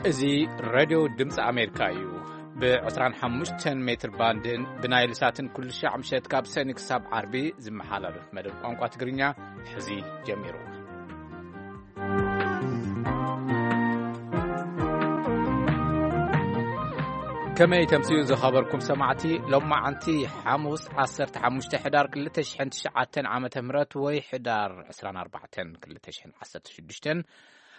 እዚ ሬድዮ ድምፂ ኣሜሪካ እዩ። ብ25 ሜትር ባንድን ብናይል ሳትን ኩሉ ሻዕ ምሸት ካብ ሰኒ ክሳብ ዓርቢ ዝመሓላለፍ መደብ ቋንቋ ትግርኛ ሕዚ ጀሚሩ። ከመይ ተምስዩ ዝኸበርኩም ሰማዕቲ፣ ሎማዓንቲ ሓሙስ ዓሰርተ ሓሙሽተ ሕዳር ክልተ ሽሕን ትሽዓተን ዓመተ ምህረት ወይ ሕዳር ዕስራን ኣርባዕተን ክልተ ሽሕን ዓሰርተ ሽዱሽተን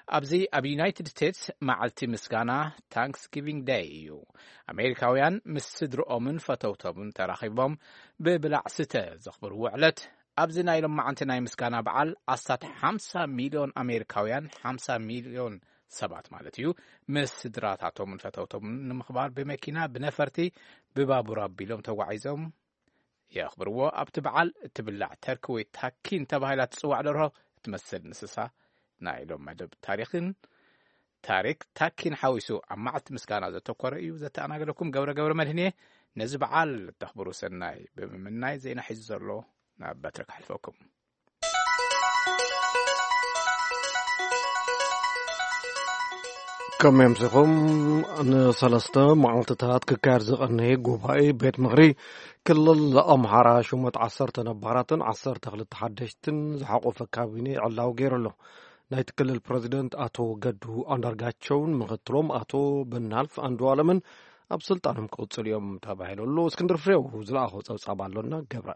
ኣብዚ ኣብ ዩናይትድ ስቴትስ መዓልቲ ምስጋና ታንክስጊቪንግ ደይ እዩ። ኣሜሪካውያን ምስ ስድርኦምን ፈተውቶምን ተራኺቦም ብብላዕ ስተ ዘኽብርዎ ዕለት ኣብዚ ናይ ሎማዓንቲ ናይ ምስጋና በዓል ኣስታት ሓምሳ ሚልዮን ኣሜሪካውያን፣ ሓምሳ ሚልዮን ሰባት ማለት እዩ፣ ምስ ስድራታቶምን ፈተውቶምን ንምኽባር ብመኪና፣ ብነፈርቲ፣ ብባቡር ኣቢሎም ተጓዒዞም የኽብርዎ። ኣብቲ በዓል እትብላዕ ተርኪ ወይ ታኪን ተባሂላ ትጽዋዕ ደርሆ እትመስል እንስሳ ናይ ሎም መደብ ታሪኽን ታሪክ ታኪን ሓዊሱ ኣብ መዓልቲ ምስጋና ዘተኮረ እዩ። ዘተኣናገደኩም ገብረ ገብረ መድህን እየ። ነዚ በዓል ተኽብሩ ሰናይ ብምምናይ ዜና ሒዙ ዘሎ ናብ በትሪ ክሕልፈኩም። ከመይ ኣምሲኹም? ንሰለስተ መዓልትታት ክካየድ ዝቐነየ ጉባኤ ቤት ምኽሪ ክልል ኣምሓራ ሹመት ዓሰርተ ነባራትን ዓሰርተ ክልተ ሓደሽትን ዝሓቆፈ ካቢኔ ዕላዊ ገይሩ ኣሎ። ናይቲ ክልል ፕረዚደንት ኣቶ ገዱ ኣንዳርጋቸውን ምኽትሎም ኣቶ ብናልፍ ኣንዱኣለምን ኣብ ስልጣኖም ክቕጽሉ እዮም ተባሂሉ ኣሎ። እስክንድር ፍሬው ዝለኣኾ ጸብጻብ ኣሎና። ገብረ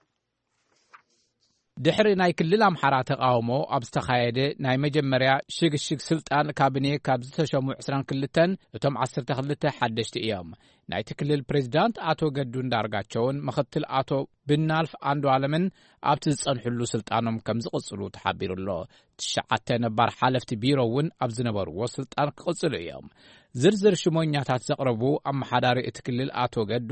ድሕሪ ናይ ክልል ኣምሓራ ተቓውሞ ኣብ ዝተኻየደ ናይ መጀመርያ ሽግሽግ ስልጣን ካቢኔ ካብ ዝተሸሙ ዕስራን ክልተን እቶም ዓሰርተ ክልተ ሓደሽቲ እዮም። ናይቲ ክልል ፕሬዚዳንት ኣቶ ገዱ እንዳርጋቸውን ምኽትል ኣቶ ብናልፍ ኣንዱ ኣለምን ኣብቲ ዝጸንሕሉ ስልጣኖም ከም ዝቕጽሉ ተሓቢሩ ኣሎ። ትሽዓተ ነባር ሓለፍቲ ቢሮ እውን ኣብ ዝነበርዎ ስልጣን ክቕጽሉ እዮም። ዝርዝር ሽሞኛታት ዘቕረቡ ኣመሓዳሪ እቲ ክልል ኣቶ ገዱ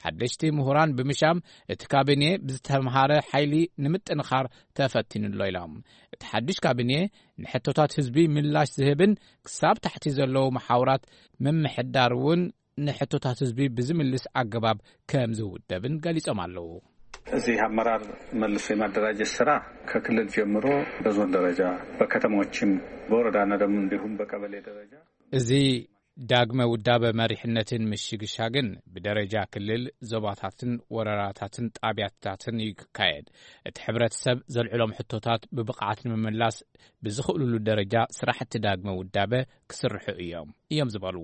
ሓደሽቲ ምሁራን ብምሻም እቲ ካቢኔ ብዝተምሃረ ሓይሊ ንምጥንኻር ተፈቲኑ ኣሎ ኢሎም። እቲ ሓድሽ ካቢኔ ንሕቶታት ህዝቢ ምላሽ ዝህብን ክሳብ ታሕቲ ዘለዉ መሓውራት ምምሕዳር እውን ንሕቶታት ህዝቢ ብዝምልስ ኣገባብ ከም ዝውደብን ገሊጾም ኣለዉ። እዚህ አመራር መልሶ የማደራጀት ስራ ከክልል ጀምሮ በዞን ደረጃ በከተሞችም በወረዳና ደግሞ እንዲሁም በቀበሌ ደረጃ እዚ ዳግመ ውዳበ መሪሕነትን ምሽግሻግን ብደረጃ ክልል፣ ዞባታትን ወረዳታትን ጣብያታትን እዩ ክካየድ። እቲ ሕብረተሰብ ዘልዕሎም ሕቶታት ብብቕዓት ንምምላስ ብዝኽእልሉ ደረጃ ስራሕቲ ዳግመ ውዳበ ክስርሑ እዮም እዮም ዝበሉ።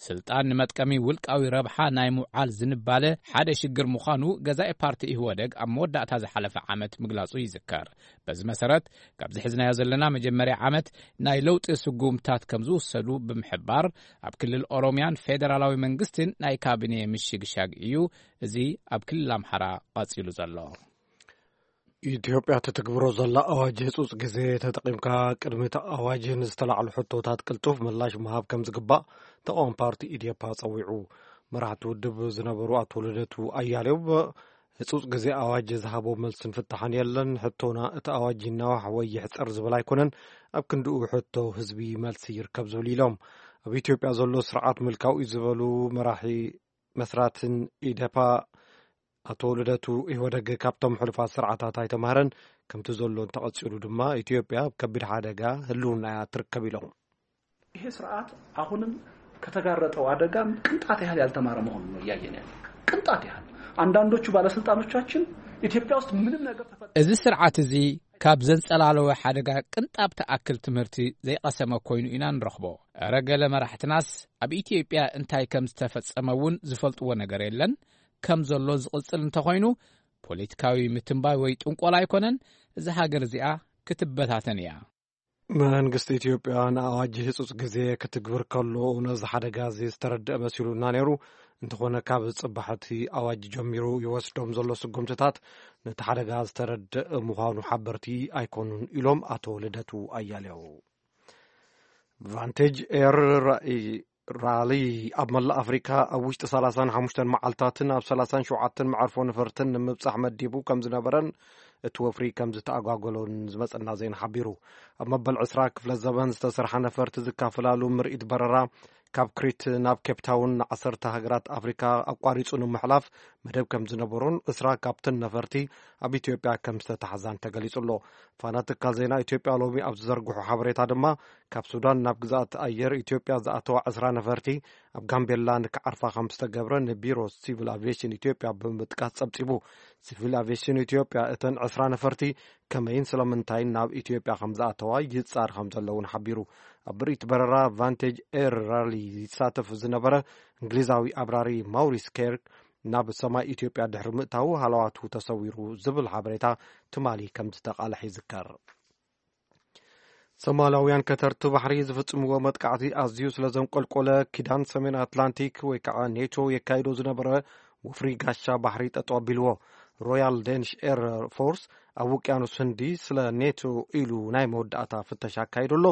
ስልጣን ንመጥቀሚ ውልቃዊ ረብሓ ናይ ምውዓል ዝንባለ ሓደ ሽግር ምዃኑ ገዛኢ ፓርቲ ኢህወደግ ኣብ መወዳእታ ዝሓለፈ ዓመት ምግላጹ ይዝከር። በዚ መሰረት ካብዚ ሒዝናዮ ዘለና መጀመርያ ዓመት ናይ ለውጢ ስጉምታት ከም ዝውሰዱ ብምሕባር ኣብ ክልል ኦሮሚያን ፌደራላዊ መንግስትን ናይ ካቢኔ ምሽግሻግ እዩ እዚ ኣብ ክልል ኣምሓራ ቀጺሉ ዘሎ። ኢትዮጵያ ትትግብሮ ዘላ ኣዋጅ ህጹጽ ግዜ ተጠቒምካ ቅድሚ እቲ ኣዋጅ ንዝተላዕሉ ሕቶታት ቅልጡፍ ምላሽ ምሃብ ከም ዝግባእ ተቃዋሚ ፓርቲ ኢዴፓ ጸዊዑ። መራሕቲ ውድብ ዝነበሩ ኣቶ ልደቱ ኣያሌው ህጹጽ ግዜ ኣዋጅ ዝሃቦ መልስን ፍታሕን የለን። ሕቶና እቲ ኣዋጅ ይናዋሕ ወይ ይሕጸር ዝብል ኣይኮነን። ኣብ ክንድኡ ሕቶ ህዝቢ መልሲ ይርከብ ዝብል ኢሎም። ኣብ ኢትዮጵያ ዘሎ ስርዓት ምልካዊ ዝበሉ መራሒ መስራትን ኢዴፓ ኣቶ ልደቱ ኢህወደግ ካብቶም ሕሉፋት ስርዓታት ኣይተማህረን። ከምቲ ዘሎ እንተቐጺሉ ድማ ኢትዮጵያ ኣብ ከቢድ ሓደጋ ህልውና እያ ትርከብ ኢሎም። ይሄ ስርዓት አሁንም ከተጋረጠው አደጋ ቅንጣት ያህል ያልተማረ መሆኑን ነው እያየን ያለ። ቅንጣት ያህል አንዳንዶቹ ባለስልጣኖቻችን ኢትዮጵያ ውስጥ ምንም ነገር ተፈ- እዚ ስርዓት እዚ ካብ ዘንጸላለወ ሓደጋ ቅንጣብ ትኣክል ትምህርቲ ዘይቐሰመ ኮይኑ ኢና ንረኽቦ። እረ ገለ መራሕትናስ ኣብ ኢትዮጵያ እንታይ ከም ዝተፈጸመ እውን ዝፈልጥዎ ነገር የለን። ከም ዘሎ ዝቕጽል እንተኾይኑ ፖለቲካዊ ምትንባይ ወይ ጥንቆላ ኣይኮነን። እዛ ሃገር እዚኣ ክትበታተን እያ። መንግስቲ ኢትዮጵያ ንኣዋጅ ህጹጽ ግዜ ክትግብር ከሎ ነዚ ሓደጋ እዚ ዝተረድአ መሲሉና ነይሩ። እንተኾነ ካብ ጽባሕ እቲ ኣዋጅ ጀሚሩ ይወስዶም ዘሎ ስጉምትታት ነቲ ሓደጋ ዝተረድእ ምዃኑ ሓበርቲ ኣይኮኑን ኢሎም ኣቶ ልደቱ ኣያሌው። ቫንቴጅ ኤር ራሊ ኣብ መላእ ኣፍሪካ ኣብ ውሽጢ ሰላሳን ሓሙሽተን መዓልታትን ኣብ ሰላሳን ሸውዓተን መዓርፎ ነፈርትን ንምብጻሕ መዲቡ ከም ዝነበረን እቲ ወፍሪ ከም ዝተኣጓጎሎን ዝመጸና ዜና ሓቢሩ። ኣብ መበል ዕስራ ክፍለ ዘበን ዝተሰርሓ ነፈርቲ ዝካፈላሉ ምርኢት በረራ ካብ ክሪት ናብ ኬፕታውን ንዓሰርተ ሃገራት ኣፍሪካ ኣቋሪጹ ንምሕላፍ መደብ ከም ዝነበሮን ዕስራ ካብተን ነፈርቲ ኣብ ኢትዮጵያ ከም ዝተታሕዛን ተገሊጹ ኣሎ። ፋና ትካል ዜና ኢትዮጵያ ሎሚ ኣብ ዝዘርግሖ ሓበሬታ ድማ ካብ ሱዳን ናብ ግዛት ኣየር ኢትዮጵያ ዝኣተዋ ዕስራ ነፈርቲ ኣብ ጋምቤላ ንክዓርፋ ከም ዝተገብረ ንቢሮ ሲቪል ኣቪዬሽን ኢትዮጵያ ብምጥቃስ ጸብጺቡ። ሲቪል ኣቪዬሽን ኢትዮጵያ እተን ዕስራ ነፈርቲ ከመይን ስለምንታይን ናብ ኢትዮጵያ ከም ዝኣተዋ ይጻር ከም ዘለውን ሓቢሩ። ኣብ ምርኢት በረራ ቫንቴጅ ኤር ራሊ ይሳተፍ ዝነበረ እንግሊዛዊ ኣብራሪ ማውሪስ ኬርክ ናብ ሰማይ ኢትዮጵያ ድሕሪ ምእታዉ ሃለዋቱ ተሰዊሩ ዝብል ሓበሬታ ትማሊ ከም ዝተቓልሐ ይዝከር። ሶማላውያን ከተርቲ ባሕሪ ዝፍጽምዎ መጥቃዕቲ ኣዝዩ ስለ ዘንቆልቆለ፣ ኪዳን ሰሜን ኣትላንቲክ ወይ ከዓ ኔቶ የካይዶ ዝነበረ ወፍሪ ጋሻ ባሕሪ ጠጠው ኣቢልዎ። ሮያል ዴንሽ ኤር ፎርስ ኣብ ውቅያኖስ ህንዲ ስለ ኔቶ ኢሉ ናይ መወዳእታ ፍተሻ ኣካይዱ ኣሎ።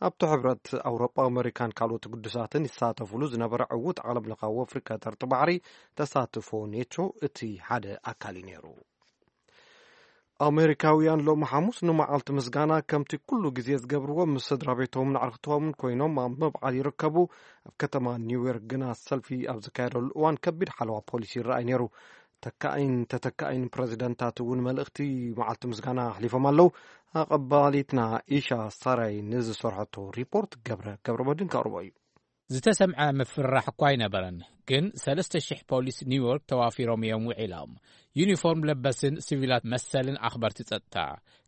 ኣብቲ ሕብረት ኣውሮጳ፣ ኣሜሪካን ካልኦት ግዱሳትን ይሳተፉሉ ዝነበረ ዕዉት ዓለምለኻዊ ወፍሪ ከተርቲ ባሕሪ ተሳትፎ ኔቶ እቲ ሓደ ኣካል እዩ ነይሩ። ኣሜሪካውያን ሎሚ ሓሙስ ንመዓልቲ ምስጋና ከምቲ ኩሉ ግዜ ዝገብርዎ ምስ ስድራ ቤቶምን ኣዕርኽቶምን ኮይኖም ኣብ ምብዓል ይርከቡ። ኣብ ከተማ ኒውዮርክ ግና ሰልፊ ኣብ ዝካየደሉ እዋን ከቢድ ሓለዋ ፖሊስ ይረኣይ ነይሩ። ተካኣይን ተተካኣይን ፕረዚደንታት እውን መልእኽቲ መዓልቲ ምስጋና ኣሕሊፎም ኣለዉ። ኣቐባሊትና ኢሻ ሳራይ ንዝሰርሐቶ ሪፖርት ገብረ ገብረ መድን ከቕርቦ እዩ። ዝተሰምዐ ምፍርራሕ እኳ ኣይነበረን፣ ግን ሰለስተ ሽሕ ፖሊስ ኒውዮርክ ተዋፊሮም እዮም ውዒሎም። ዩኒፎርም ለበስን ሲቪላት መሰልን ኣኽበርቲ ጸጥታ።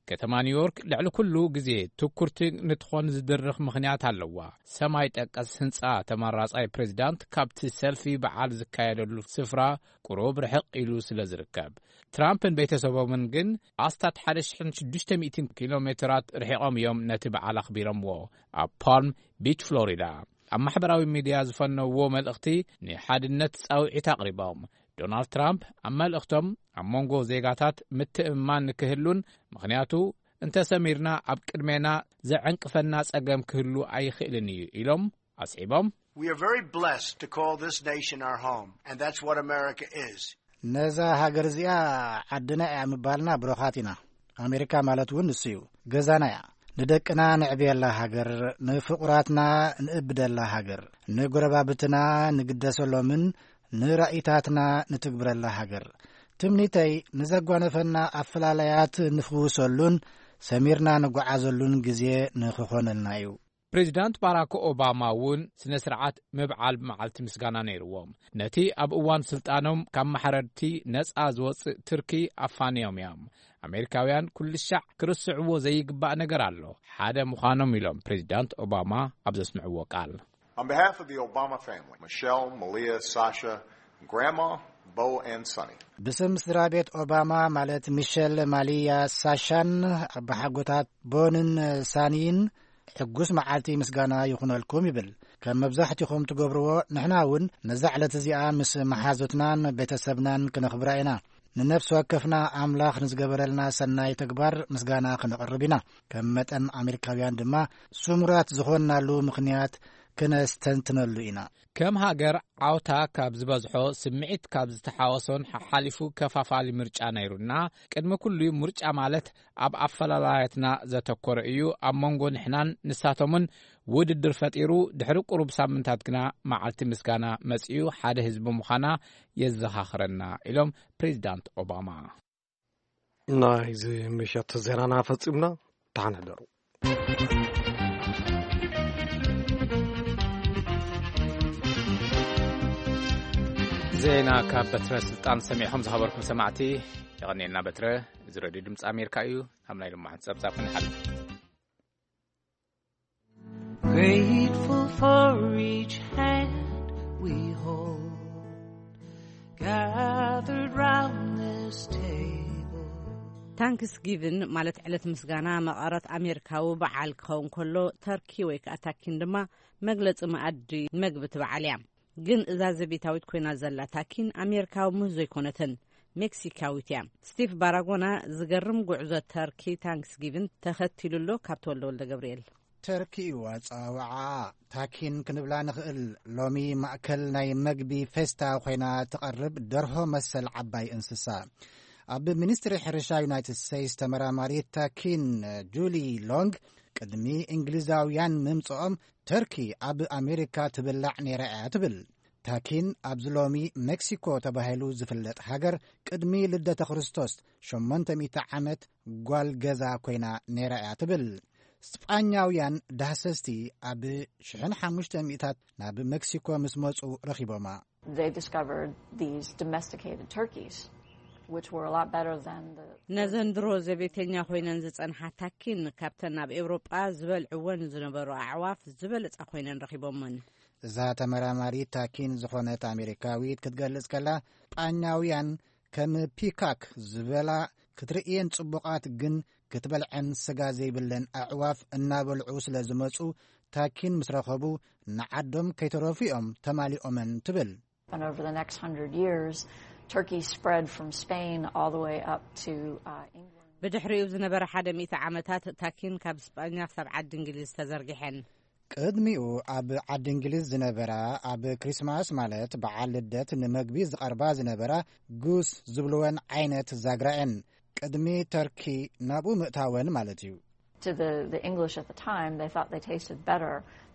ከተማ ኒውዮርክ ልዕሊ ኩሉ ግዜ ትኩርቲ ንትኾን ዝድርኽ ምኽንያት ኣለዋ። ሰማይ ጠቀስ ህንጻ ተመራጻይ ፕሬዚዳንት ካብቲ ሰልፊ በዓል ዝካየደሉ ስፍራ ቁሩብ ርሕቕ ኢሉ ስለ ዝርከብ። ትራምፕን ቤተሰቦምን ግን ኣስታት ሓደ ሽሕን ሽዱሽተ ሚእትን ኪሎ ሜትራት ርሒቖም እዮም ነቲ በዓል ኣኽቢሮምዎ። ኣብ ፓልም ቢች ፍሎሪዳ ኣብ ማሕበራዊ ሚድያ ዝፈነውዎ መልእኽቲ ንሓድነት ጻውዒት ኣቕሪቦም። ዶናልድ ትራምፕ ኣብ መልእኽቶም ኣብ መንጎ ዜጋታት ምትእምማን ንክህሉን ምኽንያቱ እንተሰሚርና ኣብ ቅድሜና ዘዐንቅፈና ጸገም ክህሉ ኣይኽእልን እዩ ኢሎም ኣስዒቦም። We are very blessed to call this nation our home, and that's what America is. ነዛ ሃገር እዚኣ ዓድና እያ ምባልና ብሮኻት ኢና። ኣሜሪካ ማለት እውን ንሱ እዩ። ገዛና እያ። ንደቅና ንዕብየላ ሃገር፣ ንፍቑራትና ንእብደላ ሃገር፣ ንጎረባብትና ንግደሰሎምን ንራኢታትና ንትግብረላ ሃገር። ትምኒተይ ንዘጓነፈና ኣፈላላያት ንፍውሰሉን ሰሚርና ንጓዓዘሉን ግዜ ንኽኾነልና እዩ። ፕሬዚዳንት ባራክ ኦባማ እውን ስነ ስርዓት ምብዓል መዓልቲ ምስጋና ነይርዎም። ነቲ ኣብ እዋን ስልጣኖም ካብ ማሕረድቲ ነጻ ዝወጽእ ትርኪ ኣፋንዮም እዮም። ኣሜሪካውያን ኩልሻዕ ክርስዕዎ ዘይግባእ ነገር ኣሎ። ሓደ ምዃኖም ኢሎም ፕሬዚዳንት ኦባማ ኣብ ዘስምዕዎ ቃል። On behalf of the Obama family, Michelle, Malia, Sasha, Grandma, Bo, and Sonny. ብስም ስድራ ቤት ኦባማ ማለት ሚሸል፣ ማሊያ፣ ሳሻን ኣባሓጎታት ቦንን ሳኒን ሕጉስ መዓልቲ ምስጋና ይኹነልኩም ይብል። ከም መብዛሕትኹም ትገብርዎ ንሕና እውን ነዛ ዕለት እዚኣ ምስ መሓዙትናን ቤተሰብናን ክነኽብራ ኢና። ንነፍሲ ወከፍና ኣምላኽ ንዝገበረልና ሰናይ ተግባር ምስጋና ክነቕርብ ኢና። ከም መጠን ኣሜሪካውያን ድማ ስሙራት ዝኾንናሉ ምኽንያት ክነስተንትነሉ ኢና። ከም ሃገር ዓውታ ካብ ዝበዝሖ ስምዒት ካብ ዝተሓወሶን ሓሓሊፉ ከፋፋሊ ምርጫ ነይሩና። ቅድሚ ኩሉ ምርጫ ማለት ኣብ ኣፈላላያትና ዘተኮረ እዩ። ኣብ መንጎ ንሕናን ንሳቶምን ውድድር ፈጢሩ። ድሕሪ ቁሩብ ሳምንታት ግና መዓልቲ ምስጋና መጺኡ ሓደ ህዝቢ ምዃና የዘኻኽረና ኢሎም ፕሬዚዳንት ኦባማ። ናይዚ ምሸት ዜናና ፈጺምና። ደሓን ሕደሩ። ዜና ካብ በትረ ስልጣን ሰሚዕኹም ዝኸበርኩም ሰማዕቲ የቐንየልና። በትረ፣ እዚ ሬድዮ ድምፂ ኣሜሪካ እዩ። ናብ ናይ ሎማዓንቲ ጸብጻብ ክንሓልፍ። Grateful for each hand we hold, gathered round this table. ታንክስጊቭን ማለት ዕለት ምስጋና መቐረት ኣሜሪካዊ በዓል ክኸውን ከሎ፣ ተርኪ ወይ ከዓ ታኪን ድማ መግለፂ መኣዲ መግቢ እቲ በዓል እያ። ግን እዛ ዘቤታዊት ኮይና ዘላ ታኪን ኣሜሪካዊ ምህዞ ኣይኮነትን፣ ሜክሲካዊት እያ። ስቲቭ ባራጎና ዝገርም ጉዕዞ ተርኪ ታንክስጊቭን ተኸቲሉ ኣሎ። ካብ ተወልደ ወልደ ገብርኤል። ተርኪ እዩ ኣጸዋውዓኣ። ታኪን ክንብላ ንኽእል። ሎሚ ማእከል ናይ መግቢ ፌስታ ኮይና ትቐርብ ደርሆ መሰል ዓባይ እንስሳ። ኣብ ሚኒስትሪ ሕርሻ ዩናይትድ ስቴትስ ተመራማሪት ታኪን ጁሊ ሎንግ፣ ቅድሚ እንግሊዛውያን ምምጽኦም ተርኪ ኣብ ኣሜሪካ ትብላዕ ነይራ እያ ትብል። ታኪን ኣብዚ ሎሚ ሜክሲኮ ተባሂሉ ዝፍለጥ ሃገር፣ ቅድሚ ልደተ ክርስቶስ ሸሞንተ ሚእቲ ዓመት ጓል ገዛ ኮይና ነይራ እያ ትብል። ስጳኛውያን ዳህሰስቲ ኣብ ሽሕን ሓሙሽተ ሚእታት ናብ ሜክሲኮ ምስ መጹ ረኺቦማ። They discovered these domesticated turkeys, which were a lot better than the ነዘን ድሮ ዘቤተኛ ኮይነን ዝጸንሓ ታኪን፣ ካብተን ኣብ ኤውሮጳ ዝበልዕወን ዝነበሩ ኣዕዋፍ ዝበለጻ ኮይነን ረኺቦመን። እዛ ተመራማሪት ታኪን ዝኾነት ኣሜሪካዊት ክትገልጽ ከላ፣ ስጳኛውያን ከም ፒካክ ዝበላ ክትርእየን ጽቡቓት ግን ክትበልዐን ስጋ ዘይብለን ኣዕዋፍ እናበልዑ ስለ ዝመጹ፣ ታኪን ምስ ረኸቡ ንዓዶም ከይተረፉ እዮም ተማሊኦመን ትብል። And over the next hundred years, turkeys spread from Spain all the way up to uh, England. ብድሕሪኡ ዝነበረ ሓደ ሚእቲ ዓመታት ታኪን ካብ ስጳኛ ክሳብ ዓዲ እንግሊዝ ተዘርጊሐን። ቅድሚኡ ኣብ ዓዲ እንግሊዝ ዝነበራ፣ ኣብ ክሪስማስ ማለት በዓል ልደት ንመግቢ ዝቐርባ ዝነበራ ጉስ ዝብልወን ዓይነት ዛግራ እየን። ቅድሚ ተርኪ ናብኡ ምእታወን ማለት እዩ። To the, the English at the time, they thought they tasted better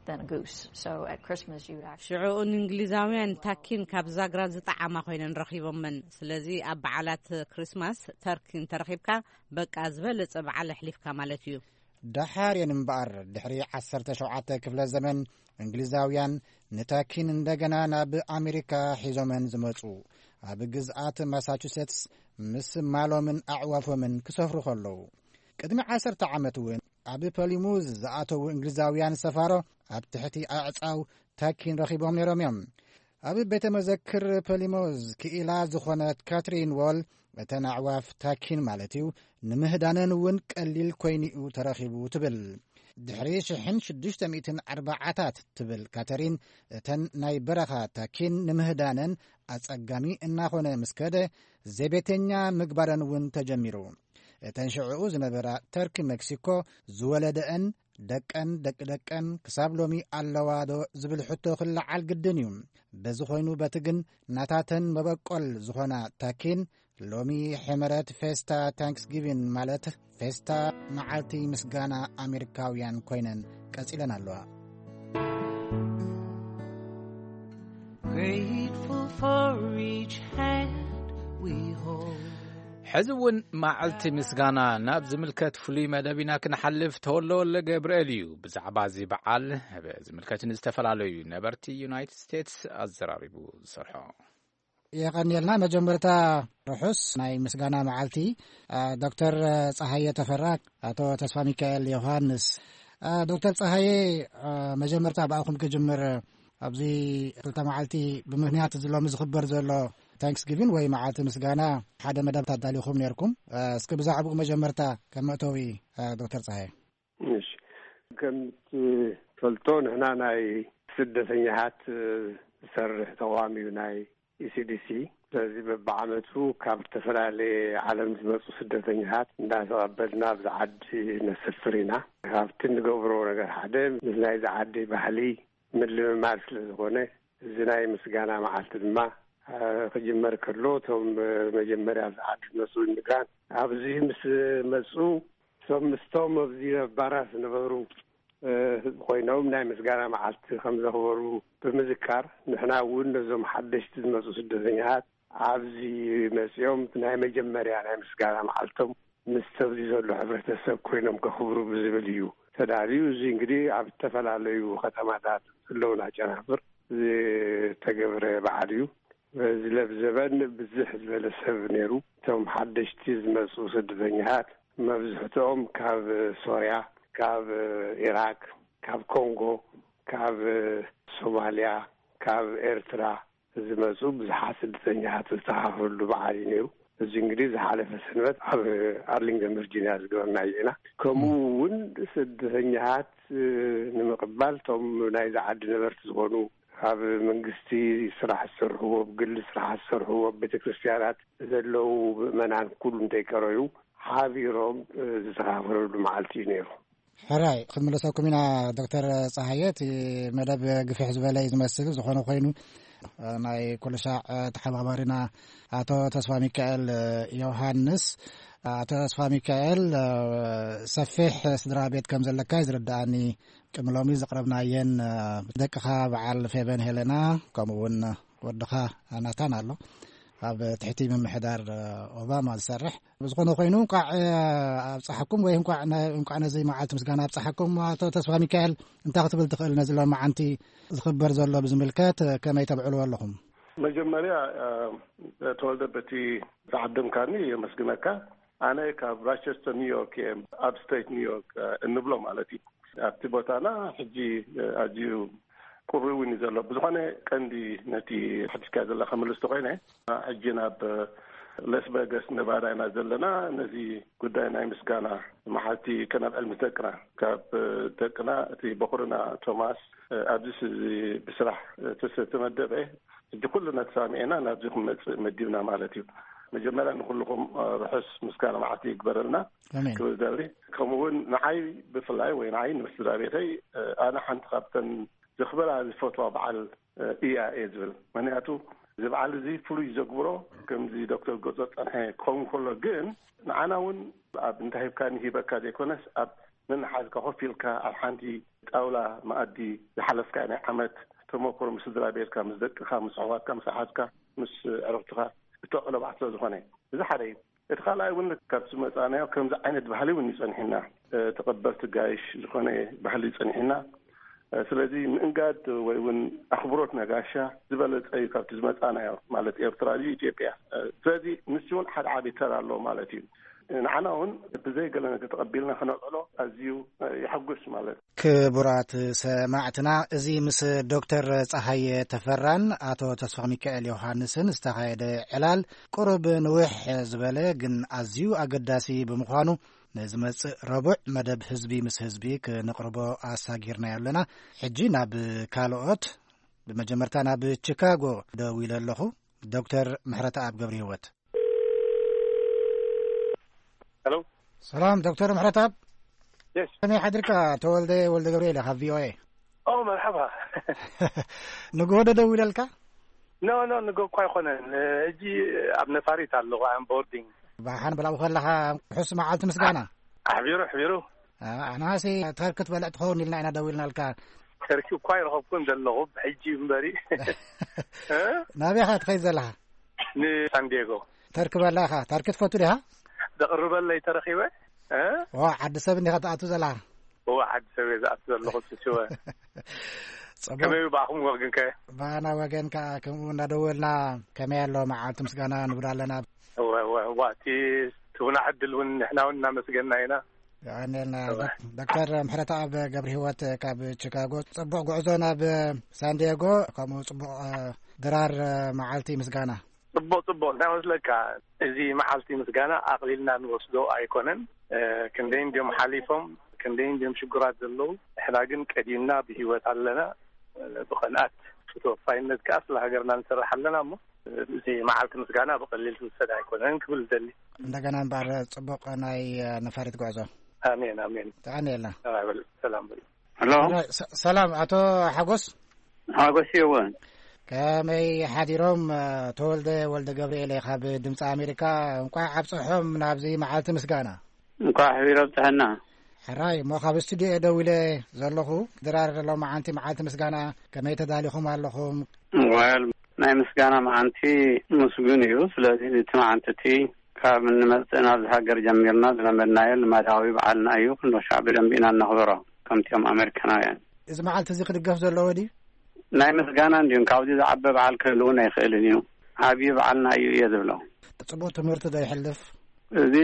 than a goose. So at Christmas, you would actually ሽዑኡ ንእንግሊዛውያን ታኪን ካብ ዛግራ ዝጠዓማ ኮይነን ረኺቦመን። ስለዚ ኣብ በዓላት ክሪስማስ ተርኪ እንተረኺብካ፣ በቃ ዝበለጸ በዓል ኣሕሊፍካ ማለት እዩ። ደሓር እየን እምበኣር፣ ድሕሪ ዓሰርተ ሸውዓተ ክፍለ ዘመን እንግሊዛውያን ንታኪን እንደገና ናብ ኣሜሪካ ሒዞመን ዝመጹ፣ ኣብ ግዝኣት ማሳቹሴትስ ምስ ማሎምን ኣዕዋፎምን ክሰፍሩ ከለዉ። ቅድሚ ዓሰርተ ዓመት እውን ኣብ ፐሊሙዝ ዝኣተዉ እንግሊዛውያን ሰፋሮ ኣብ ትሕቲ ኣዕጻው ታኪን ረኺቦም ነይሮም እዮም። ኣብ ቤተ መዘክር ፐሊሙዝ ክኢላ ዝኾነት ካትሪን ዎል፣ እተን ኣዕዋፍ ታኪን ማለት እዩ፣ ንምህዳነን እውን ቀሊል ኮይኑ'ዩ ተረኺቡ ትብል። ድሕሪ ሽሕን ሽዱሽተ ሚእትን ኣርባዓታት ትብል ካተሪን፣ እተን ናይ በረኻ ታኪን ንምህዳነን ኣጸጋሚ እናኾነ ምስ ከደ፣ ዘቤተኛ ምግባረን እውን ተጀሚሩ። እተን ሽዕኡ ዝነበራ ተርኪ ሜክሲኮ ዝወለደአን ደቀን ደቂ ደቀን ክሳብ ሎሚ ኣለዋ ዶ ዝብል ሕቶ ክለዓል ግድን እዩ። በዚ ኮይኑ በቲ ግን ናታተን መበቆል ዝኾና ታኪን ሎሚ ሕመረት ፌስታ ታንክስጊቪን ማለት ፌስታ መዓልቲ ምስጋና ኣሜሪካውያን ኮይነን ቀጺለን ኣለዋ። Grateful for each hand we hold. ሕዚ እውን መዓልቲ ምስጋና ናብ ዝምልከት ፍሉይ መደብ ኢና ክንሓልፍ። ተወለወለ ገብርኤል እዩ ብዛዕባ እዚ በዓል ዝምልከት ንዝተፈላለዩ ነበርቲ ዩናይትድ ስቴትስ ኣዘራሪቡ ዝሰርሖ። የቐንየልና። መጀመርታ ርሑስ ናይ ምስጋና መዓልቲ። ዶክተር ፀሃየ ተፈራ፣ ኣቶ ተስፋ ሚካኤል ዮሃንስ። ዶክተር ፀሃየ፣ መጀመርታ ብኣኹም ክጅምር። ኣብዚ ክልተ መዓልቲ ብምክንያት እዚ ሎሚ ዝኽበር ዘሎ ታንክስጊቪን ወይ መዓልቲ ምስጋና ሓደ መደብ ኣዳሊኹም ነርኩም። እስኪ ብዛዕባኡ መጀመርታ ከም መእተዊ ዶክተር ፀሃየ። እሺ፣ ከም ትፈልጦ ንሕና ናይ ስደተኛታት ዝሰርሕ ተቋም እዩ ናይ ኢሲዲሲ። ስለዚ በብዓመቱ ካብ ዝተፈላለየ ዓለም ዝመፁ ስደተኛታት እንዳተቐበልና ኣብዚ ዓዲ ነሰፍር ኢና። ካብቲ እንገብሮ ነገር ሓደ ምስ ናይዚ ዓዲ ባህሊ ምልምማድ ስለ ዝኾነ፣ እዚ ናይ ምስጋና መዓልቲ ድማ ክጅመር ከሎ፣ እቶም መጀመርያ ኣብዚ ዓዲ ዝመፁ ኢሚግራንት ኣብዚ ምስ መፁ፣ እቶም ምስቶም ኣብዚ ነባራት ዝነበሩ ህዝቢ ኮይኖም ናይ ምስጋና መዓልቲ ከም ዘኽበሩ ብምዝካር፣ ንሕና እውን ነዞም ሓደሽቲ ዝመፁ ስደተኛታት ኣብዚ መፂኦም ናይ መጀመርያ ናይ ምስጋና መዓልቶም ምስ ኣብዚ ዘሎ ሕብረተሰብ ኮይኖም ከኽብሩ ብዝብል እዩ ተዳልዩ። እዚ እንግዲህ ኣብ ዝተፈላለዩ ከተማታት ዘለውና ጨናፍር ዝተገብረ በዓል እዩ። በዚ ለብ ዘበን ብዝሕ ዝበለ ሰብ ነይሩ። እቶም ሓደሽቲ ዝመፁ ስደተኛታት መብዝሕትኦም ካብ ሶርያ፣ ካብ ኢራቅ፣ ካብ ኮንጎ፣ ካብ ሶማልያ፣ ካብ ኤርትራ ዝመፁ ብዙሓት ስደተኛታት ዝተኻፈሉ በዓል እዩ ነይሩ። እዚ እንግዲህ ዝሓለፈ ሰንበት ኣብ ኣርሊንግተን ቨርጂኒያ ዝገበርናዮ ኢና። ከምኡ እውን ስደተኛታት ንምቕባል እቶም ናይዚ ዓዲ ነበርቲ ዝኾኑ ኣብ መንግስቲ ስራሕ ዝሰርሕዎ፣ ብግሊ ስራሕ ዝሰርሕዎ፣ ኣብ ቤተክርስትያናት ዘለዉ ምእመናን ኩሉ እንተይቀረዩ ሓቢሮም ዝተኻፈለሉ መዓልቲ እዩ ነይሩ። ሕራይ ክንምለሰኩም ኢና ዶክተር ፀሃየ። እቲ መደብ ግፍሕ ዝበለ እዩ ዝመስል። ዝኾነ ኮይኑ እ፣ ናይ ኩሉ ሳዕ፣ እ፣ ተሓባባሪና ኣቶ ተስፋ ሚካኤል፣ እ፣ ዮሃንስ። ኣቶ ተስፋ ሚካኤል፣ እ፣ ሰፊሕ ስድራ ቤት ከም ዘለካ እዩ ዝርድኣኒ። ቅድሚ ሎሚ ዘቕረብናየን፣ እ፣ ደቅኻ በዓል ፌበን ሄለና፣ ከምኡ እውን ወድኻ ናታን ኣሎ፣ ኣብ ትሕቲ ምምሕዳር፣ እ፣ ኦባማ ዝሰርሕ። ብዝኾነ ኮይኑ፣ እንቋዕ፣ እ፣ ኣብጽሓኩም ወይ እንቋዕ ነ-፣ እንቋዕ ነዚ መዓልቲ ምስጋና ኣብጽሓኩም። ኣቶ ተስፋ ሚካኤል፣ እንታይ ክትብል ትኽእል? ነዚ ሎማዓንቲ ዝኽበር ዘሎ ብዝምልከት፣ እ፣ ከመይ ተብዕልዎ ኣለኹም? መጀመርያ፣ እ፣ ተወልደ፣ በቲ ዝዓደምካኒ የመስግነካ። ኣነ ካብ ራቸስተር ኒውዮርክ እየ፣ ኣብ ስቴት ኒውዮርክ፣ እ፣ እንብሎ ማለት እዩ። ኣብቲ ቦታና ሕጂ፣ እ፣ ኣዝዩ ቁሪ እውን እዩ ዘሎ። ብዝኾነ፣ ቀንዲ ነቲ ሓቲትካ ዘለኻ መልስ ተኾይነ፣ ሕጂ ናብ ላስ ቬጋስ ነቫዳ ኢና ዘለና። ነዚ ጉዳይ ናይ ምስጋና መዓልቲ ከነብዕል ምስ ደቅና፣ ካብ ደቅና እቲ በኹርና ቶማስ፣ ኣብዚ ስ-፣ እዚ ብስራሕ ተተመደበ፣ ሕጂ ኩልና ተሳሚዕና ናብዚ ክንመጽእ መዲብና ማለት እዩ። መጀመርያ ንኩልኹም ርሑስ ምስጋና መዓልቲ ይግበረልና ኣሜን። ክብል ደሊ። ከምኡ እውን ንዓይ ብፍላይ ወይ ንዓይ ንስድራ ቤተይ፣ ኣነ ሓንቲ ካብተን ዘኽብራ ዝፈትዋ በዓል፣ እ፣ እያ እየ ዝብል። ምኽንያቱ እዚ በዓል እዚ ፍሉይ ዘግብሮ፣ ከምዚ ዶክተር ገጾ ጸንሐ ክኸውን ከሎ ግን፣ ንዓና እውን ኣብ እንተ ሂብካኒ ሂበካ ዘይኮነስ፣ ኣብ ነንሓዝካ ኮፍ ኢልካ ኣብ ሓንቲ ጣውላ መኣዲ ዝሓለፍካ ናይ ዓመት ተመክሮ ምስ ስድራ ቤትካ፣ ምስ ደቅኻ፣ ምስ ኣሕዋትካ፣ ምስ ኣሓትካ፣ ምስ ኣዕሩኽትኻ እተቕሎ በዓል ስለ ዝኾነ፣ እዚ ሓደ እዩ። እቲ ካልኣይ እውን ካብቲ ዝመጻእናዮ ከምዚ ዓይነት ባህሊ እውን እዩ ጸኒሕና። እ፣ ተቐበልቲ ጋይሽ ዝኾነ ባህሊ ጸኒሕና። እ፣ ስለዚ ምእንጋድ ወይ እውን ኣኽብሮት ነጋሻ ዝበለጸ እዩ ካብቲ ዝመጻእናዮ፣ ማለት ኤርትራ ድዩ ኢትዮጵያ። እ፣ ስለዚ ንሱ እውን ሓደ ዓቢ ተራ ኣለዎ ማለት እዩ። ንዓና እውን ብዘይ ገለ ነገር ተቐቢልና ከነውዕሎ ኣዝዩ፣ እ፣ የሐጉስ ማለት። ክቡራት ሰማዕትና፣ እዚ ምስ ዶክተር ጸሃየ ተፈራን ኣቶ ተስፋ ሚካኤል ዮሃንስን ዝተኻየደ ዕላል ቁሩብ ንውሕ ዝበለ ግን ኣዝዩ ኣገዳሲ ብምዃኑ፣ ንዝመጽእ ረቡዕ መደብ ህዝቢ ምስ ህዝቢ ክነቕርቦ ኣሳጊርናዮ ኣለና። ሕጂ ናብ ካልኦት፣ ብመጀመርታ ናብ ቺካጎ ደዊለ ኣለኹ። ዶክተር ምሕረተኣብ ገብረህይወት። ሄሎ። ሰላም ዶክተር ምሕረተኣብ። የስ። ከመይ ሓድርካ? ተወልደ ወልደ ገብርኤል ካብ ቪ ኦ ኤ። ኦ፣ መርሓባ። ንግሆ ዶ ደዊለልካ? ኖ፣ ኖ፣ ንግሆ እኳ ኣይኮነን። ሕጂ ኣብ ነፋሪት ኣለኹ፣ ኣም ቦርዲንግ። ብሓን ብላኡ ከለኻ ርሑስ መዓልቲ ምስጋና። ኣሕቢሩ፣ ኣሕቢሩ። ኣ-፣ ኣናሲ ተርኪ ትበልዕ ትኸውን ኢልና ኢና ደዊልናልካ። ተርኪ እኳ ኣይረኸብኩን ዘለኹ፣ ብሕጂ እምበሪ። እ? ናበይ ኢኻ ትኸይድ ዘለኻ? ንሳንዲየጎ። ተርኪ በላ ኢኻ? ተርኪ ትፈቱ ዲኻ? ዘቕርበለይ ተረኺበ። እ? ዋ፣ ዓዲ ሰብ እንዲኻ ትኣቱ ዘለኻ? እዋ፣ ዓዲ ሰብ እየ ዝኣቱ ዘለኹ፣ ስስወ። ጽቡቕ። ከመይ እዩ ብኣኹም ወገንከ? ብኣና ወገን ከኣ ከምኡ እናደወልና ከመይ ኣሎ መዓልቲ ምስጋና ንብል ኣለና። እወ፣ እወ፣ እዋ፣ እቲ ትቡና ዕድል እውን ንሕና እውን እናመስገና ኢና። የቐንየልና። እወ። ዶክ-፣ ዶክተር ምሕረተኣብ ገብረ ህይወት ካብ ቺካጎ፣ ጽቡቕ ጉዕዞ ናብ ሳንዲየጎ፣ ከምኡ ጽቡቕ፣ እ፣ ድራር፣ እ፣ መዓልቲ ምስጋና። ጽቡቕ፣ ጽቡቕ። እንታይ መስለካ፣ እዚ መዓልቲ ምስጋና ኣቕሊልና ንወስዶ ኣይኮነን። እ፣ ክንደይ እንድዮም ሓሊፎም፣ ክንደይ እንድዮም ሽጉራት ዘለዉ። ንሕና ግን ቀዲምና ብህይወት ኣለና። እ፣ ብቕንኣት፣ ብተወፋይነት ከኣ ስለ ሃገርና ንሰርሕ ኣለና እሞ፣ እ፣ እዚ መዓልቲ ምስጋና ብቐሊል ዝውሰድ ኣይኮነን ክብል ዝደሊ። እንደገና እምበኣር ጽቡቕ ናይ፣ እ፣ ነፋሪት ጉዕዞ። ኣሜን፣ ኣሜን። ተቐንየልና። ሰላም በሉ፣ ሰላም በሉ። ሄሎ። ሰ-፣ ሰላም ኣቶ ሓጎስ። ሓጎስ ይወን። ከመይ ሓዲሮም? ተወልደ ወልደ ገብርኤል እየ ካብ ድምፂ ኣሜሪካ። እንቋዕ ኣብፀሖም ናብዚ መዓልቲ ምስጋና። እንቋዕ ኣሕቢሩ ኣብፀሐና። ሕራይ እሞ ካብ ስቱዲዮ እየ ደዊለ ዘለኹ። ድራር ሎማዓንቲ መዓልቲ ምስጋና ከመይ ተዳሊኹም ኣለኹም? ወል ናይ ምስጋና መዓንቲ ምስጉን እዩ። ስለዚ እቲ መዓንቲ እቲ ካብ እንመጽእ ናብዚ ሃገር ጀሚርና ዝለመድናዮ ልማዳዊ በዓልና እዩ። ክንዶ ሻዕ ብደንቢ ኢና እነኽብሮ ከምቲኦም ኣሜሪካናውያን። እዚ መዓልቲ እዚ ክድገፍ ዘለዎ ድዩ? ናይ ምስጋና እንድዩ። ካብዚ ዝዓበ በዓል ክህልውን ኣይኽእልን እዩ። ዓብዪ በዓልና እዩ እየ ዝብሎ። ጽቡቕ ትምህርቲ ዶ ይሕልፍ? እዚ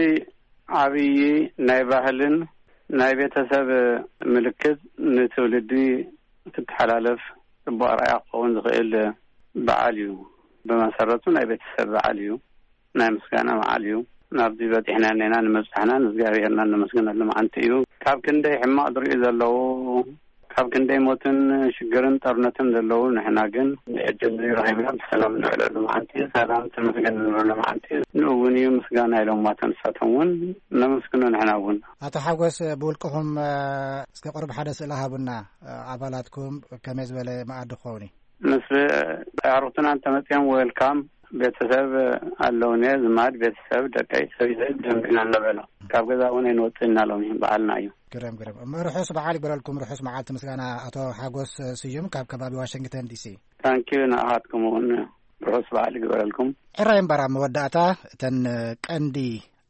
ዓብዪ ናይ ባህልን ናይ ቤተሰብ ምልክት ንትውልዲ ክተሓላለፍ ጽቡቕ ኣርኣያ ክኸውን ዝኽእል በዓል እዩ። ብመሰረቱ ናይ ቤተሰብ በዓል እዩ። ናይ ምስጋና በዓል እዩ። ናብዚ በጺሕና እኔና ንምብጻሕና ንእግዚኣብሔርና እነመስግነሉ መዓልቲ እዩ። ካብ ክንደይ ሕማቕ ዝርእዩ ዘለዉ፣ ካብ ክንደይ ሞትን ሽግርን ጦርነትን ዘለዉ፣ ንሕና ግን ዕድል እዚ ረኺብና ብሰላም ንውዕለሉ መዓልቲ እዩ። ሰላም ተመስገን ንብለሉ መዓልቲ እዩ። ንኡ እውን እዩ ምስጋና ኢሎም እቶም ንሳቶም እውን ነመስግኖ ንሕና እውን። ኣቶ ሓጎስ፣ ብውልቅኹም፣ እ፣ እስከ ቁሩብ ሓደ ስእሊ ሃቡና፣ እ፣ ኣባላትኩም ከመይ ዝበለ መኣዲ ክኸውን እዩ? ምስ ኣዕሩኽትና እንተመፅኦም፣ ዌልካም፣ ቤተሰብ ኣለውኒ፣ ዝማድ ቤተሰብ፣ ደቀይ፣ ሰብይተይ ደንግና እናበሎ፣ ካብ ገዛ እውን ኣይንወፅእ እናሎም እዩ፣ በዓልና እዩ። ግርም፣ ግርም። እሞ ርሑስ በዓል ይግበረልኩም። ርሑስ መዓልቲ ምስጋና፣ ኣቶ ሓጎስ ስዩም ካብ ከባቢ ዋሽንግተን ዲሲ። ታንኪዩ፣ ንኣኻትኩም እውን ርሑስ በዓል ይግበረልኩም። ሕራይ እምበኣር፣ ኣብ መወዳእታ እተን ቀንዲ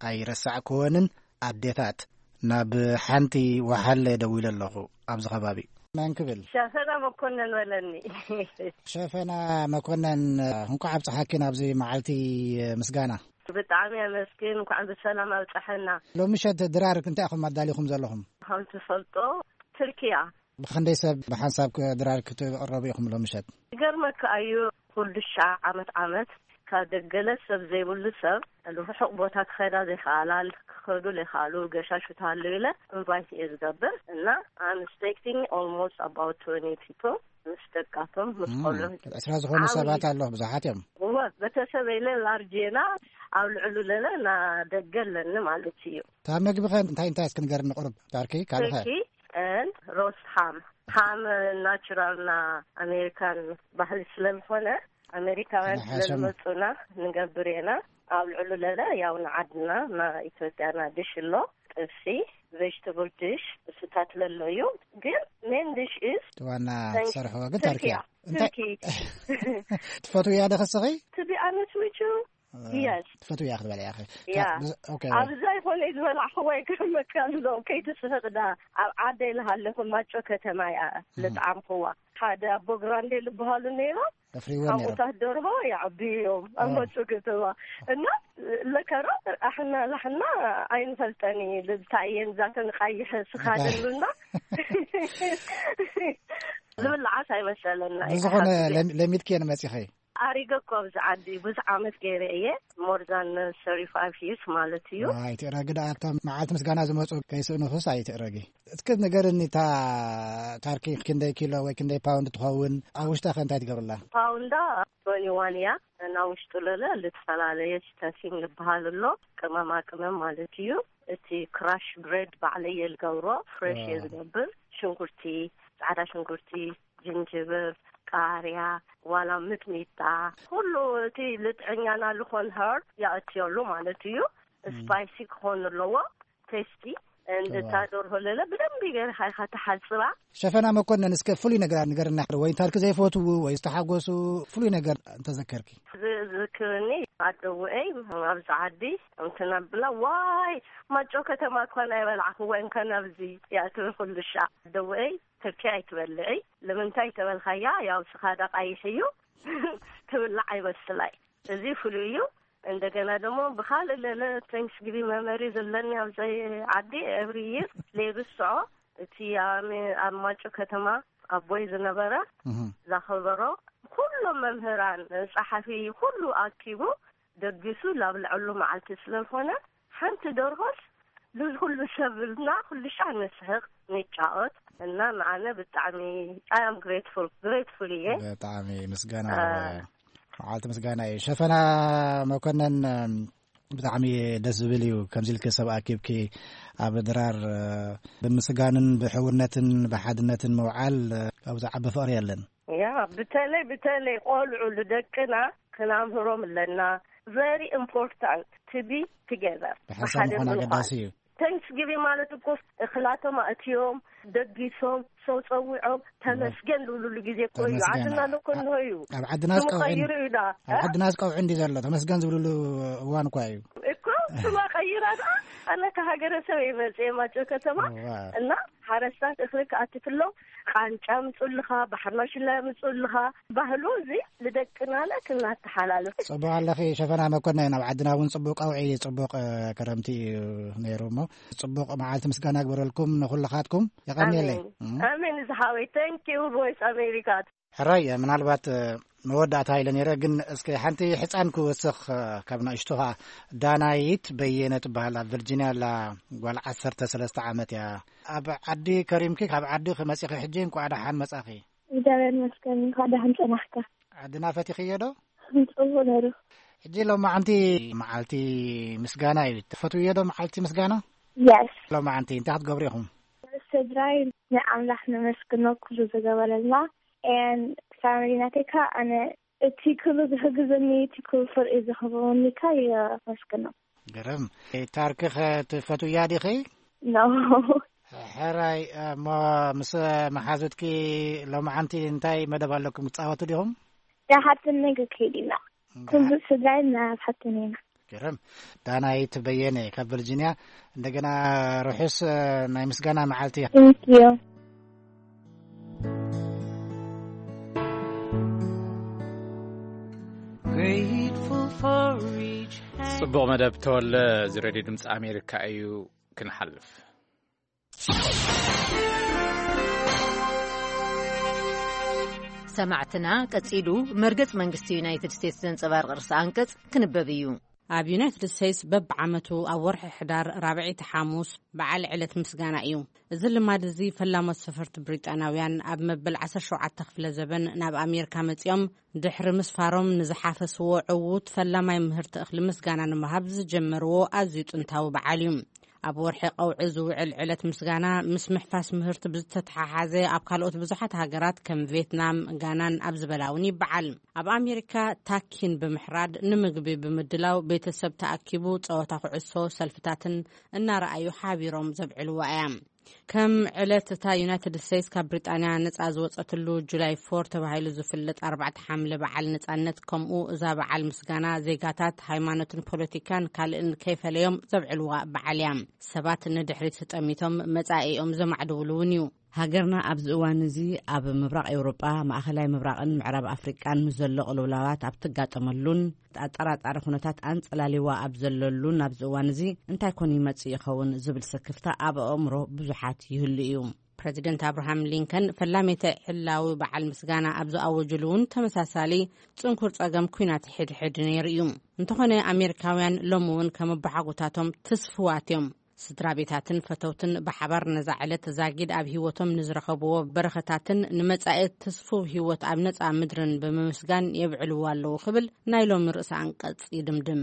ኣይረሳዕክወንን ኣዴታት፣ ናብ ሓንቲ ወሓለ ደዊለ ኣለኹ ኣብዚ ከባቢ። መን ክብል? ሸፈና መኮነን በለኒ። ሸፈና መኮነን፣ እንኳዕ ኣብፀሓኪ ናብዚ መዓልቲ ምስጋና። ብጣዕሚ ኣመስግን፣ እንኳዕ ብሰላም ኣብፀሐና። ሎሚ ምሸት ድራር እንታይ ኢኹም ኣዳሊኹም ዘለኹም? ከም ትፈልጦ፣ ትርኪያ። ብኽንደይ ሰብ ብሓንሳብ ክ-፣ ድራር ክትቕረቡ ኢኹም ሎሚ ምሸት? ይገርመካ እዩ፣ ኩሉ ሻዕ ዓመት ዓመት ካብ ደገለ ሰብ ዘይብሉ ሰብ፣ ርሑቕ ቦታ ክኸዳ ዘይከኣላ፣ ክኸዱ ዘይከኣሉ ገሻሹ ተሃለዩ ኢለ ኢንቫይት እየ ዝገብር። እና I'm expecting almost about twenty people፣ ምስ ደቃቶም፣ ምስ እም፣ ቆልዑ። ዕስራ ዝኾኑ ዓብዪ ሰባት ኣሎ፣ ብዙሓት እዮም። እወ፣ ቤተሰብ ኢለ ላርጅ ኢና፣ ኣብ ልዕሉ ለለ እና ደገ ኣለኒ ማለት እዩ። እታ መግቢ ኸ እንታይ እንታይ እስኪ ንገርኒ ቁሩብ፣ ዳርኪ፣ ካልእ ኸ? ኬኪ and ሮስት ሃም። ሃም ናቹራል ና ኣሜሪካን ባህሊ ስለዝኾነ፣ ኣሜሪካውያን ንሓሸም። ስለዝመፁና ንገብር ኢና። ኣብ ልዕሉ ለለ ያው ንዓድና፣ ና ኢትዮጵያ ና ድሽ ኣሎ፣ ጥብሲ፣ ቬጅተብል ድሽ፣ እሱታት ለሎ እዩ። ግን ሜን ድሽ ኢዝ እቲ ዋና ትሰርሕዎ ግን ተርኪ ትርኪያ። እያ። እንታይ ትርኪ። ትፈትውያ ዶ ኸስኺ? To be honest with you፣ እ፣ የስ። ትፈትውያ ክትበልያ ኢኺ። ያ። ካብ-፣ ብዝ-፣ ኦኬ። ኣብዛ ይኾነ ዝበላዕኽዎ ይገርመካ ኣሎ፣ ከይትስሕቕ ዳ። ኣብ ዓደይ ልሃለኹ ማጮ ከተማ እያ እህ። ልጥዓምኽዋ። ሓደ ኣቦ ግራንዴ ልበሃሉ ነይሮም። ኣፍሪዎ ነይሮም። ሓሙታት ደርሆ ይዓብዩ እዮም ኣብ ኦ። ማጮ ከተማ። እና ለከሮ ኣሕና ላሕና ኣይንፈልጠን እዩ። እንታይ እየን ዛተን ቃይሕ ስኻደሉና። ዝብላዓስ ኣይመሰለና እዩ። ብዝኾነ ሓሳብ እዩ። ለም-፣ ለሚድክየን መጺኺ? ኣሪገ እኮ ኣብዚ ዓዲ ብዙሕ ዓመት ገይረ እየ። More than thirty-five years ማለት እዩ። ኣይትእረጊ ደኣ፣ እቶም መዓልቲ ምስጋና ዝመጹ ከይስእኑኽስ ኣይትእረጊ። እስኪ ንገርኒ፣ እታ ታርኪ ክንደይ ኪሎ ወይ ክንደይ ፓውንድ ትኸውን? ኣብ ውሽጣ ከ እንታይ ትገብርላ? ፓውንዳ twenty-one እያ። እና ውሽጡ ለለ ልትፈላለየ ስታፊንግ ዝበሃል ኣሎ። ቅመማ ቅመም ማለት እዩ። እቲ ክራሽ ብሬድ ባዕለየ ዝገብሮ፣ ፍሬሽ እየ ዋው። ዝገብር። ሽንኩርቲ፣ ጻዕዳ ሽንኩርቲ፣ ጅንጅብል፣ ቃርያ፣ ዋላ ሚጥሚጣ፣ ኩሉ እቲ ልጥዕኛና ዝኾን ሀርብ የእትየሉ ማለት እዩ። እም። ስፓይሲ ክኾን ኣለዎ፣ ቴስቲ። እንድ እታ ዋው። ደርሆ ለለ ብደንቢ ገይርኻ ኢኻ ትሓጽባ። ሸፈና መኮነን፣ እስከ ፍሉይ ነገር ንገርና፣ ወይ ታርክ ዘይፈትዉ ወይ ዝተሓጎሱ ፍሉይ ነገር እንተዘከርኪ። ዝ-፣ ዝክርኒ ኣደውኤይ ኣብዚ ዓዲ እንትነብላ፣ ዋይ፣ ማጮ ከተማ እኳ ናይ በላዕኽወን ከነብዚ እያ ትብል ኩሉ ሻዕ። ኣደውኤይ፣ ትርኪ ኣይትበልዒ። ንምንታይ ተበልካያ? ያው ስኻ ዳ ቀይሕ እዩ። ትብላዕ ኣይመስላይ። እዚ ፍሉይ እዩ። እንደገና ደሞ ብኻልእ ለለ ቴንክስጊቪንግ መመሪ ዘለኒ ኣብዚ ዓዲ፣ ኤቭሪ ይር ሌብስዖ፣ እቲ ኣሜ-፣ ኣብ ማጮ ከተማ ኣቦይ ዝነበረ እህ። ዘኸበሮ፣ ኩሎም መምህራን፣ ጸሓፊ፣ ኩሉ ኣኪቡ፣ ደጊሱ ላብልዐሉ መዓልቲ ስለ ዝኾነ፣ ሓንቲ ደርሆስ ንዚ ኩሉ ሰብ ብልና ኩሉ ሻዕ ንስሕቕ፣ ንጫወት እና ንኣነ ብጣዕሚ I am grateful፣ ግሬትፉል እየ። ብጣዕሚ ምስጋና አ፣ ኣለዎ። መዓልቲ ምስጋና እዩ። ሸፈና መኮነን፣ ብጣዕሚ ደስ ዝብል እዩ። ከምዚ ኢልኪ ሰብ ኣኪብኪ ኣብ ድራር ብምስጋንን ብሕውነትን ብሓድነትን ምውዓል፣ ካብኡ ዝዓቢ ፍቕሪ የለን። ያ፣ ብተለይ፣ ብተለይ ቆልዑ ንደቅና ክናምህሮም ኣለና። ቨሪ ኢምፖርታንት ቱ ቢ ቱጌዘር፣ ብሓንሳብ ብሓደ ምዃን ምዃን። ኣገዳሲ እዩ። ቴንክስጊቪንግ ማለት እኮ እኽላቶም ኣእትዮም፣ ደጊሶም፣ ሰው ጸዊዖም፣ ተመስገን ዝብሉሉ ግዜ እኮ እዩ። ተመስገን። ዓድና እኮ እንሆ እዩ። ኣብ ዓድናስ ስሙ ቀውዒ፣ ቀይሩ እዩ ዳ። ኣብ እ? ዓድናስ ቀውዒ እንዲ ዘሎ፣ ተመስገን ዝብሉሉ እዋን እኳ እዩ። እኮ ስማ ቀይራ ዳ። ኣነ ከሃገረሰብ እየ መጽየ ማጨው ከተማ። እዋ። እና ሓረስታት እኽሊ ክኣቲ ክሎ ቃንጫ ምጽልኻ፣ ባሕሪ ማሽላ ምጽልኻ። ባህሉ እዚ ንደቅና ለ ክናተሓላልፍ። ጽቡቕ ኣለኺ ሸፈና መኮነን፣ ኣብ ዓድና እውን ጽቡቕ ቀውዒ፣ ጽቡቕ፣ እ፣ ክረምቲ እዩ ነይሩ እሞ፣ ጽቡቕ መዓልቲ ምስጋና ግበረልኩም ንኹልኻትኩም። የቐንየለይ። ኣሜን። እም። ኣሜን ዝሓወይ። Thank you ቮይስ ኣሜሪካ። ሕራይ፣ ምናልባት፣ እ፣ መወዳእታ ኢለ ነይረ፣ ግን እስከ ሓንቲ ሕጻን ክወስኽ፣ እ፣ ካብ ንእሽቶ ኸኣ። ዳናይት በየነ ትበሃል፣ ኣብ ቨርጂንያ ኣላ፣ ጓል ዓሰርተ ሰለስተ ዓመት እያ። ኣብ ዓዲ ከሪምኪ፣ ካብ ዓዲ ክመጺኺ ሕጂ እንቋዕ ደሓን መጻኺ። እግዚኣብሔር ይመስገን፣ እንኳዕ ደሓን ጸናሕካ። ዓድና ፈቲኽዮ ዶ? ጽቡቕ ነይሩ። ሕጂ ሎማዓንቲ መዓልቲ ምስጋና እዩ። ትፈትውዮ ዶ መዓልቲ ምስጋና? የስ። ሎማዓንቲ እንታይ ክትገብሩ ኢኹም? ምስ ስድራይ ንኣምላኽ ነመስግኖ፣ ኩሉ ዝገበረልና። And ፋሚሊ ናተይ ከኣ ኣነ እቲ ኩሉ ዝሕግዘኒ፣ እቲ ኩሉ ፍርቂ ዝህበወኒ ከኣ የመስግኖ። ግርም። ታርክኸ ትፈትውያ ዲኺ? ኖ። ሕራይ፣ እሞ ምስ መሓዙትኪ ሎማዓንቲ እንታይ መደብ ኣለኩም? ትጻወቱ ዲኹም? ዳሓትን ነገ ከይድ ኢና። እንዳ- ኩሉ ስድራይ ናብ ሓትን ኢና። ግርም። ዳናይት በየነ ካብ ቨርጂኒያ፣ እንደገና ርሑስ ናይ ምስጋና መዓልቲ። Thank you። Grateful for each hand. ጽቡቕ መደብ ተወለ። እዚ ሬድዮ ድምፂ ኣሜሪካ እዩ። ክንሓልፍ ሰማዕትና፣ ቀጺሉ መርገጽ መንግስቲ ዩናይትድ ስቴትስ ዘንጸባርቕ ርእሰ ኣንቀጽ ክንበብ እዩ። ኣብ ዩናይትድ ስቴትስ በብዓመቱ ኣብ ወርሒ ሕዳር ራብዐይቲ ሓሙስ በዓል ዕለት ምስጋና እዩ። እዚ ልማድ እዚ ፈላሞት ሰፈርቲ ብሪጣናውያን ኣብ መበል ዓሰርተ ሸውዓተ ክፍለ ዘበን ናብ ኣሜሪካ መጺኦም ድሕሪ ምስፋሮም ንዝሓፈስዎ ዕዉት ፈላማይ ምህርቲ እኽሊ ምስጋና ንምሃብ ዝጀመርዎ ኣዝዩ ጥንታዊ በዓል እዩ። ኣብ ወርሒ ቀውዒ ዝውዕል ዕለት ምስጋና ምስ ምሕፋስ ምህርቲ ብዝተተሓሓዘ ኣብ ካልኦት ብዙሓት ሃገራት ከም ቬትናም፣ ጋናን ኣብ ዝበላ እውን ይበዓል። ኣብ ኣሜሪካ ታኪን ብምሕራድ ንምግቢ ብምድላው ቤተሰብ ተኣኪቡ ጸወታ ኩዕሶ፣ ሰልፍታትን እናረኣዩ ሓቢሮም ዘብዕልዋ እያ። ከም ዕለት እታ ዩናይትድ ስቴትስ ካብ ብሪጣንያ ነጻ ዝወጸትሉ ጁላይ ፎር ተባሂሉ ዝፍለጥ ኣርባዕተ ሓምለ በዓል ነጻነት፣ ከምኡ እዛ በዓል ምስጋና ዜጋታት ሃይማኖትን ፖለቲካን ካልእን ከይፈለዮም ዘብዕልዋ በዓል እያ። ሰባት ንድሕሪት ጠሚቶም መጻኢኦም ዘማዕድውሉ እውን እዩ። ሃገርና ኣብዚ እዋን እዚ ኣብ ምብራቕ ኤውሮጳ፣ ማእኸላይ ምብራቕን ምዕራብ ኣፍሪቃን ምስ ዘሎ ቅልውላዋት ኣብ ትጋጠመሉን ኣጠራጣሪ ኩነታት ኣንጸላሊዋ ኣብ ዘለሉን ኣብዚ እዋን እዚ እንታይ ኮን ይመጽእ ይኸውን ዝብል ስክፍታ ኣብ ኣእምሮ ብዙሓት ይህሉ እዩ። ፕረዚደንት ኣብርሃም ሊንከን ፈላሜተ ዕላዊ በዓል ምስጋና ኣብ ዝኣወጅሉ እውን ተመሳሳሊ ጽንኩር ጸገም ኲናት ሕድሕድ ነይሩ እዩ። እንተኾነ ኣሜሪካውያን ሎሚ እውን ከም ኣቦሓጎታቶም ትስፍዋት እዮም። ስድራ ቤታትን ፈተውትን ብሓባር ነዛ ዕለት ዛጊድ ኣብ ህይወቶም ንዝረኸብዎ በረኸታትን ንመጻኢ ትስፉው ህይወት ኣብ ነጻ ምድርን ብምምስጋን የብዕልዎ ኣለዉ ክብል ናይ ሎሚ ርእሰ ኣንቀጽ ይድምድም።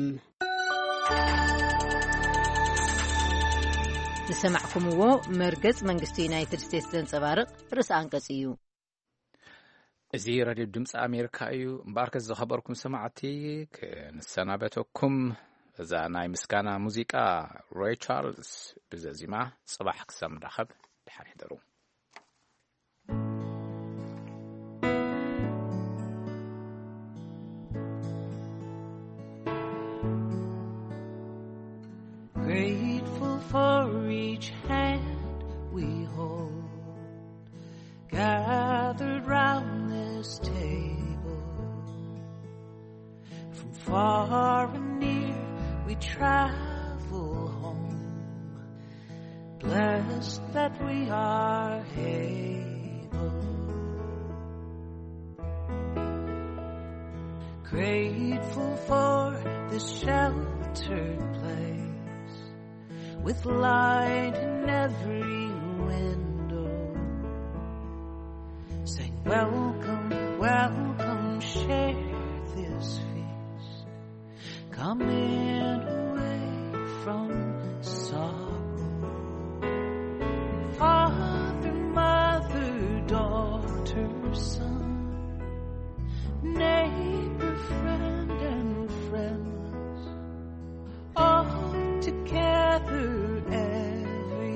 ዝሰማዕኩምዎ መርገጽ መንግስቲ ዩናይትድ ስቴትስ ዘንጸባርቕ ርእሰ ኣንቀጽ እዩ። እዚ ሬድዮ ድምፂ ኣሜሪካ እዩ። እምበኣርከስ ዝኸበርኩም ሰማዕቲ፣ ክንሰናበተኩም እዛ ናይ ምስጋና ሙዚቃ ሬይ ቻርልስ ብዘዚማ ጽባሕ ክሳብ ንራኸብ ድሓን ሕደሩ። Grateful for each hand we hold, gathered round this table. From far and near we travel home, blessed that we are able. Grateful for this sheltered place with light in every window. Saying, "Welcome, welcome, share this feast. Coming away from sorrow." Father, mother, daughter, son, neighbor, friend, and friends, all together, everyone,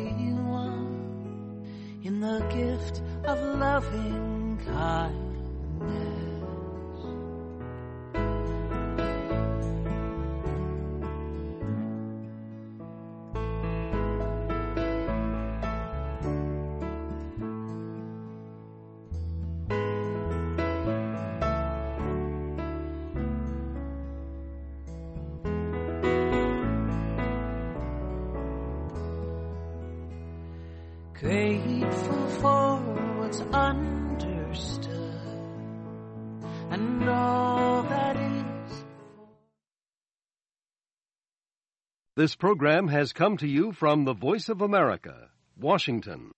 in the gift of loving kindness. Grateful for what's understood and all that is. This program has come to you from the Voice of America, Washington.